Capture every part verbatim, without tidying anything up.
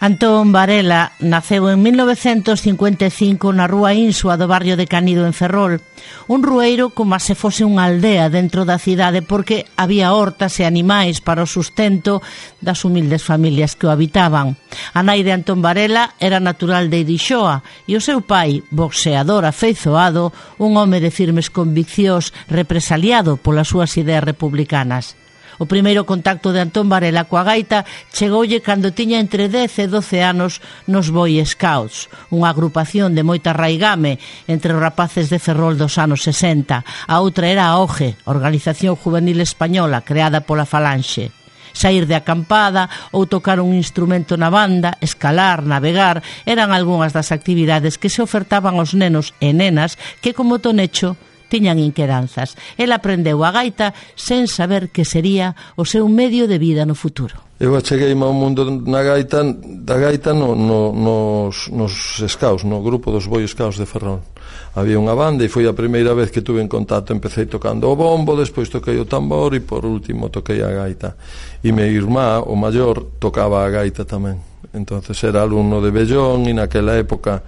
Antón Varela naceu en mil novecentos cincuenta e cinco na rúa Insua do barrio de Canido en Ferrol, un rueiro como se fose unha aldea dentro da cidade porque había hortas e animais para o sustento das humildes familias que o habitaban. A nai de Antón Varela era natural de Irixoa e o seu pai, boxeador afeizoado, un home de firmes conviccións represaliado polas súas ideas republicanas. O primeiro contacto de Antón Varela coa gaita chegoulle cando tiña entre dez e doce anos nos Boy Scouts, unha agrupación de moita raigame entre os rapaces de Ferrol dos anos sesenta. A outra era a O G E, Organización Juvenil Española, creada pola Falanxe. Saír de acampada ou tocar un instrumento na banda, escalar, navegar, eran algunhas das actividades que se ofertaban aos nenos e nenas que, como Tonecho, tiñan inquedanzas. El aprendeu a gaita sen saber que sería o seu medio de vida no futuro. Eu acheguei ao mundo na gaita, da gaita no, no, nos, nos scouts, no grupo dos Boy Scouts de Ferrol. Había unha banda e foi a primeira vez que tuve en contacto. Empecé tocando o bombo, despois toquei o tambor e por último toquei a gaita. E meu irmá, o maior, tocaba a gaita tamén. Entonces era alumno de Bellón e naquela época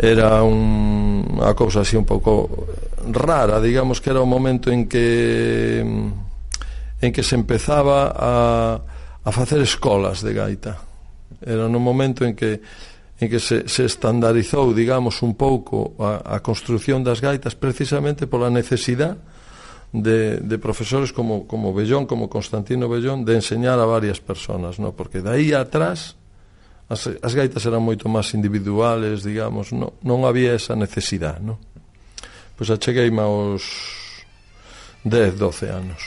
era un, unha cousa así un pouco rara, digamos que era o momento en que en que se empezaba a, a facer escolas de gaita. Era no momento en que en que se, se estandarizou, digamos, un pouco a, a construción das gaitas precisamente pola necesidade de, de profesores como, como Bellón, como Constantino Bellón, de enseñar a varias personas, ¿no? Porque de aí atrás As, as gaitas eran moito máis individuales, digamos, non, non había esa necesidade, non? Pois achegueime aos dez, doce anos.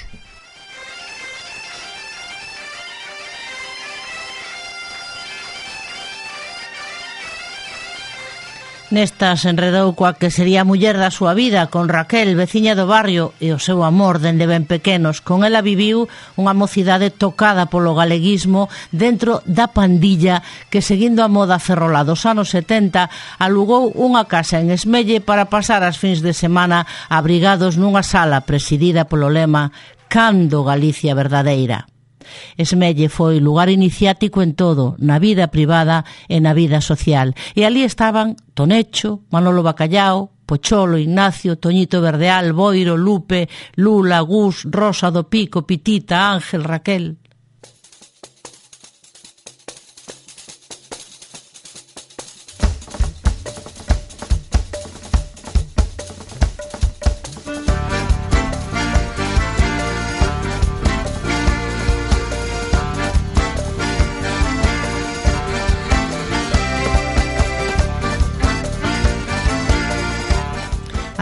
Nesta se enredou coa que sería a muller da súa vida, con Raquel, veciña do barrio, e o seu amor dende ben pequenos. Con ela viviu unha mocidade tocada polo galeguismo dentro da pandilla que, seguindo a moda ferrolá dos anos setenta, alugou unha casa en Esmelle para pasar as fins de semana abrigados nunha sala presidida polo lema "Cando Galicia verdadeira". Esmelle foi lugar iniciático en todo, na vida privada e na vida social. E ali estaban Tonecho, Manolo Bacallao, Pocholo, Ignacio, Toñito Verdeal, Boiro, Lupe, Lula, Gus, Rosa do Pico, Pitita, Ángel, Raquel.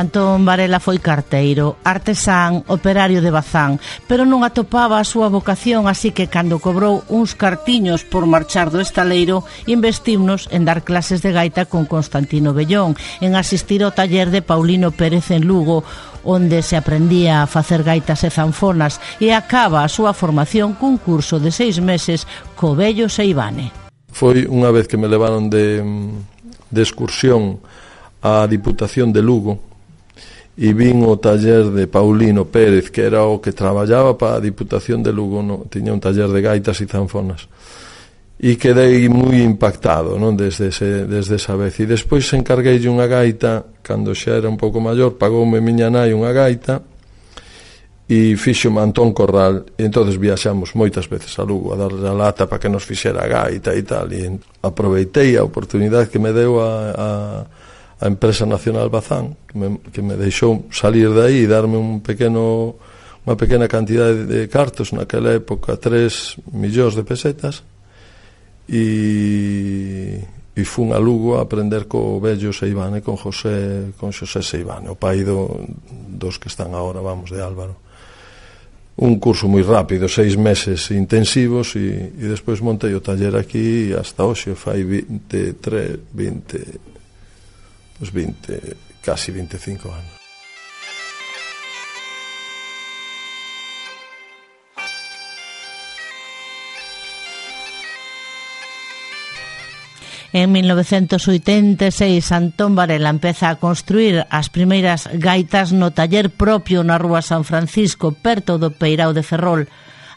Antón Varela foi carteiro, artesán, operario de Bazán, pero non atopaba a súa vocación, así que cando cobrou uns cartiños por marchar do estaleiro, investimos en dar clases de gaita con Constantino Bellón, en asistir ao taller de Paulino Pérez en Lugo, onde se aprendía a facer gaitas e zanfonas, e acaba a súa formación cun curso de seis meses co vello Seivane. Foi unha vez que me levaron de, de excursión á Diputación de Lugo, e vin o taller de Paulino Pérez, que era o que traballaba para a Diputación de Lugo, no? Tiña un taller de gaitas e zanfonas, e quedei moi impactado, non? Desde, ese, desde esa vez. E despois encargueille unha gaita cando xa era un pouco maior, pagoume miña nai unha gaita e fixome Antón Corral, e entonces viaxamos moitas veces a Lugo a darle a lata para que nos fixera a gaita e tal, e aproveitei a oportunidade que me deu a, a a Empresa Nacional Bazán, que me, que me deixou salir de aí e darme un pequeno, unha pequena cantidade de cartos, naquela época tres millóns de pesetas, e, e fun a Lugo a aprender co vello Seivane, con José, con José Seivane, o pai do, dos que están agora, vamos, de Álvaro. Un curso moi rápido, seis meses intensivos, e, e despois montei o taller aquí, e hasta hoxe fai veintitrés, vinte... Pues veinte, casi veinticinco anos. En mil novecentos oitenta e seis, Antón Varela empeza a construir as primeiras gaitas no taller propio na rúa San Francisco, perto do Peirao de Ferrol.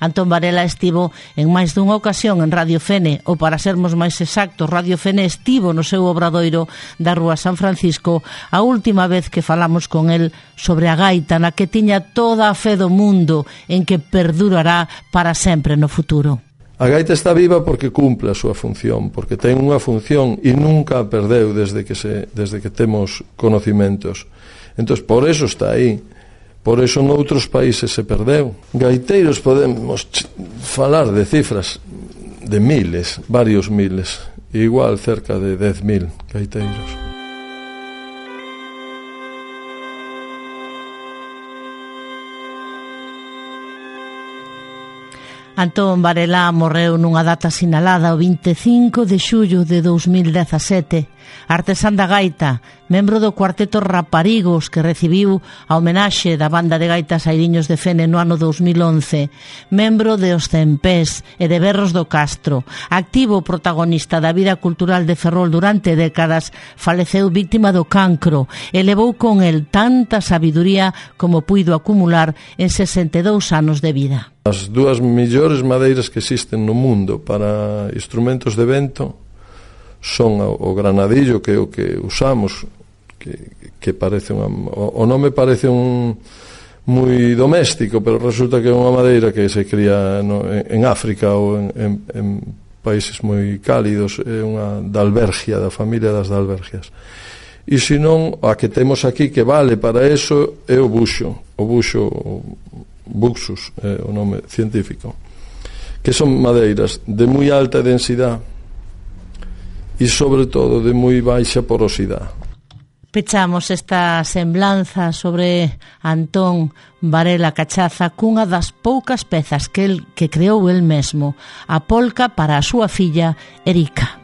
Antón Varela estivo en máis dunha ocasión en Radio Fene, ou para sermos máis exactos, Radio Fene estivo no seu obradoiro da Rúa San Francisco a última vez que falamos con el sobre a gaita na que tiña toda a fe do mundo en que perdurará para sempre no futuro. A gaita está viva porque cumple a súa función, porque ten unha función e nunca a perdeu desde que, se, desde que temos conocimentos. Entón, por eso está aí. Por eso noutros países se perdeu. Gaiteiros podemos falar de cifras de miles, varios miles, igual cerca de dez mil gaiteiros. Antón Varela morreu nunha data sinalada o vinte e cinco de xullo de dous mil dezasete. Artesán da gaita, membro do cuarteto Raparigos que recibiu a homenaxe da banda de gaitas Airiños de Fene no ano dous mil once, membro de Os Cempés e de Berros do Castro, activo protagonista da vida cultural de Ferrol durante décadas, faleceu víctima do cancro e levou con el tanta sabiduría como puido acumular en sesenta e dous anos de vida. As dúas millores madeiras que existen no mundo para instrumentos de vento son o granadillo, que é o que usamos, que, que parece unha, o, o nome parece un moi doméstico, pero resulta que é unha madeira que se cría no, en, en África ou en, en, en países moi cálidos, é unha dalbergia, da familia das dalbergias. E senón, a que temos aquí que vale para eso é o buxo, o buxo Buxus, é o nome científico, que son madeiras de moi alta densidade e sobre todo de moi baixa porosidade. Pechamos esta semblanza sobre Antón Varela Cachaza cunha das poucas pezas que el que creou el mesmo, a polca para a súa filla Erika.